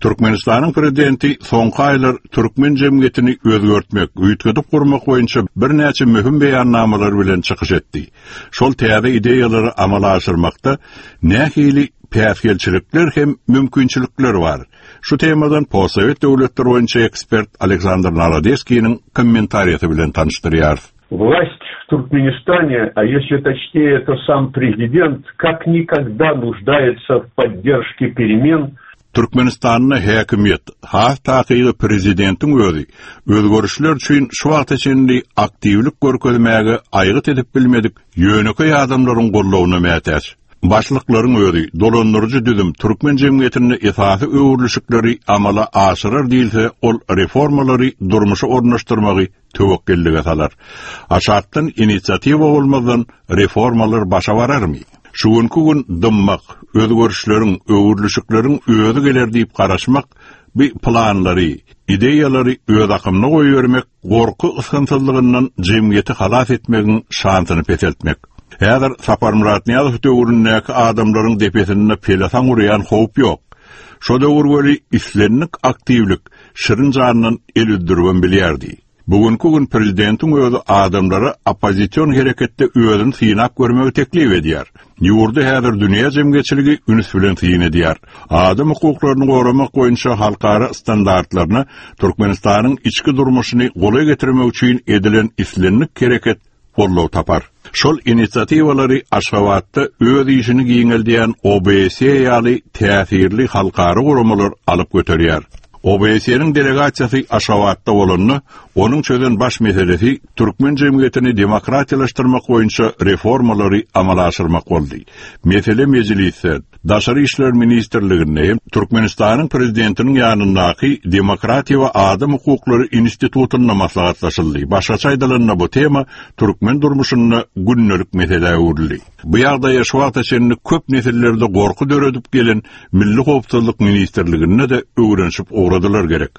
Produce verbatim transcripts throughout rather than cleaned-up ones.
Türkmenistanyň prezidenti soňky aýlar türkmen jemgyýetini özgertmek, üýtgedip gurmak boýunça birnäçe möhüm beýannamalar bilen çykyş etdi. Şol täze ideýalary amala aşyrmakda nähili päsgelçilikler hem mümkinçilikler bar. Şu temadan postsowet döwletler boýunça ekspert Aleksandr Narodeskiniň kommentariýasy bilen tanyşdyrýarys. Власть в Туркменистане, а если точнее, то сам президент, как никогда нуждается в поддержке перемен. Türkmenistanda häkimiýet, has takygy prezidentiň özi, özgerişler üçin şu wagta çenli aktiwlik görkezmäge aýgyt edip bilmedik ýönekeý adamlaryň goldawyna mätäç. Başlyklaryň özi, dolandyryjy düzüm türkmen jemgyýetinde esasy öwrülişikleri amala aşyrar diýilse, ol reformalary durmuşa ornaşdyrmagy töwekgellige salar. Aşakdan inisiatiwa bolmazdan reformalar başa bararmy? Şu günki gün dymmak, özgerişleriň, öwrülişikleriň özi geler diýip garaşmak, bu planlary, ideýalary öz akymyna goýbermek, gorky ysgynsyzlygyndan jemgyýeti halas etmegiň şansyny peseltmek. Häzir Saparmyrat Nyýazow döwründäki adamlaryň depesinde pelesaň urýan howp ýok. Şo döwür weli islendik aktiwlik şirin jandan el üzdüribem bilýärdi. Bugünkü gün prezidentiň özi adamlara oppozision hereketde özüni synap görmegi teklip edýär. Ýurdy häzir dünýä jemgyýetçiligi üns bilen syn edýär. Adam hukuklaryny goramak boýunça halkara standartlaryna Türkmenistanyň içki durmuşyny golaý getirmek üçin edilen islendik hereket goldaw tapar. Şol inisiatiwalary Aşgabatda öz işini giňeldýän O B S E ýaly täsirli halkara guramalar alyp göterýär. O B S E-niň delegasiýasy Aşgabatda bolanda, onuň çözen baş meselesi türkmen jemgyýetini demokratiýalaşdyrmak boýunça reformalary amala aşyrmak boldy. Mesele mejlisde, Daşary işler ministrliginde hem Türkmenistanyň prezidentiniň ýanyndaky Demokratiýa we Adam hukuklary institutynda maslahatlaşyldy. Başgaça aýdylanda, bu tema türkmen durmuşynda gündelik meselä öwrüldi. Bu ýagdaýa şu wagta çenli köp nesillerde gorky döredip gelen Milli Howpsuzlyk ministrliginde de öwrenişip ugradylar gerek.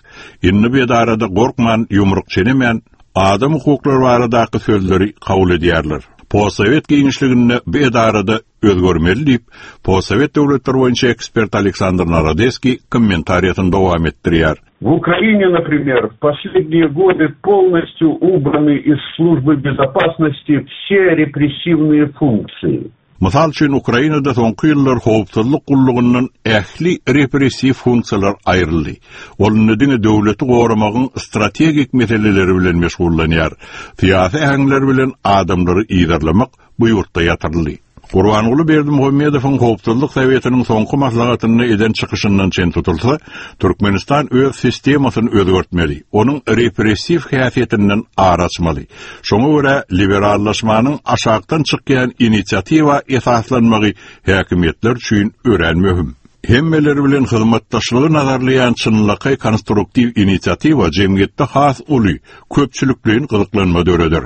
Indi bu edarada gorkman, ýumruk çenemän, adam hukuklary baradaky sözleri kabul edýärler. Postsowet giňişliginde bu edarada özgermeli diýip, postsowet döwletler boýunça ekspert Aleksandr Narodeskiý kommentariýasyny dowam etdirýär. В Украине, например, в последние годы полностью убраны из службы безопасности все репрессивные функции. Mysal üçin, Ukrainada soňky ýyllar howpsuzlyk gullugyndan ähli repressiw funksiýalar aýryldy. Ol indi diňe döwleti goramagyň strategik meseleleri bilen meşgullanýar. Syýasy äheňler bilen adamlary yzarlamak bu ýurtda ýatyryldy. Gurbanguly Berdimuhamedowyň Howpsuzlyk Sowetiniň soňky maslahatynda eden çykyşyndan çen tutulsa, Türkmenistan öz sistemasyny özgertmeli, onuň repressiw häsiýetinden ar açmaly. Şoňa görä liberallaşmanyň aşakdan çykýan inisiatiwa esaslanmagy häkimiýetler üçin örän möhüm. Hemmeler bilen hyzmatdaşlygy nazarlaýan çynlakaý konstruktiw inisiatiwa jemgyýetde has uly, köpçülikleýin gyzyklanma döreder.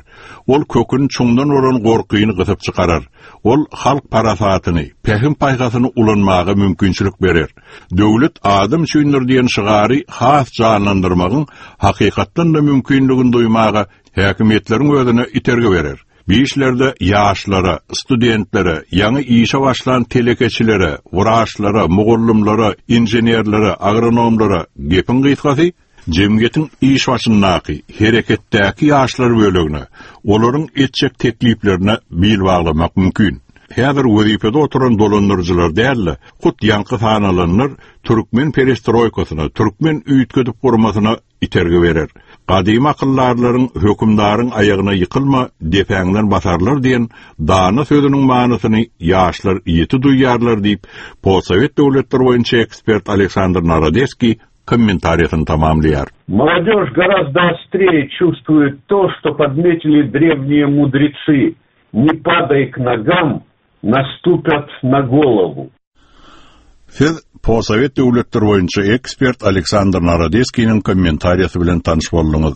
Ol kökün çuňdan bolan gorkyny gysyp çykarar. Ol halk parasatyny, pähim paýhasyny ulanmaga mümkinçilik berer. Döwlet adam üçindir diýen şygary has janlandyrmagyň hakykatdan da mümkinligini duýmaga häkimiýetleriň özüne itergi berer. Bir işlerde ýaşlara, studentlere, ýaňy işe başlan telekeçilere, wraçlara, mugallymlara, inženerlere, agronomlara gepiň gysgasy jemgyýetiň iş başyndaky, hereketdäki ýaşlar bölegine, olaryň etjek tekliplerine bil baglamak mümkin. Häzir wezipede oturan dolandyryjylar däl-de, hut ýaňky sanalanlar türkmen perestroýkasyna, türkmen üýtgedip gurmasyna itergi berer. Gadymy akyldarlaryň hökümdaryň aýagyna ýykylma, depäňden basarlar diýen dana sözüniň manysyny ýaşlar ýeti duýýarlar diýip, postsowet döwletler boýunça ekspert Aleksandr Narodeskiý kommentariýasyny tamamlaýar. Молодежь гораздо острее чувствует то, что подметили древние мудрецы. Не падай к ногам, наступят на голову. Siz postsowet döwletler boýunça ekspert Aleksandr Narodeskiniň kommentariýasy bilen tanyş bolduňyz.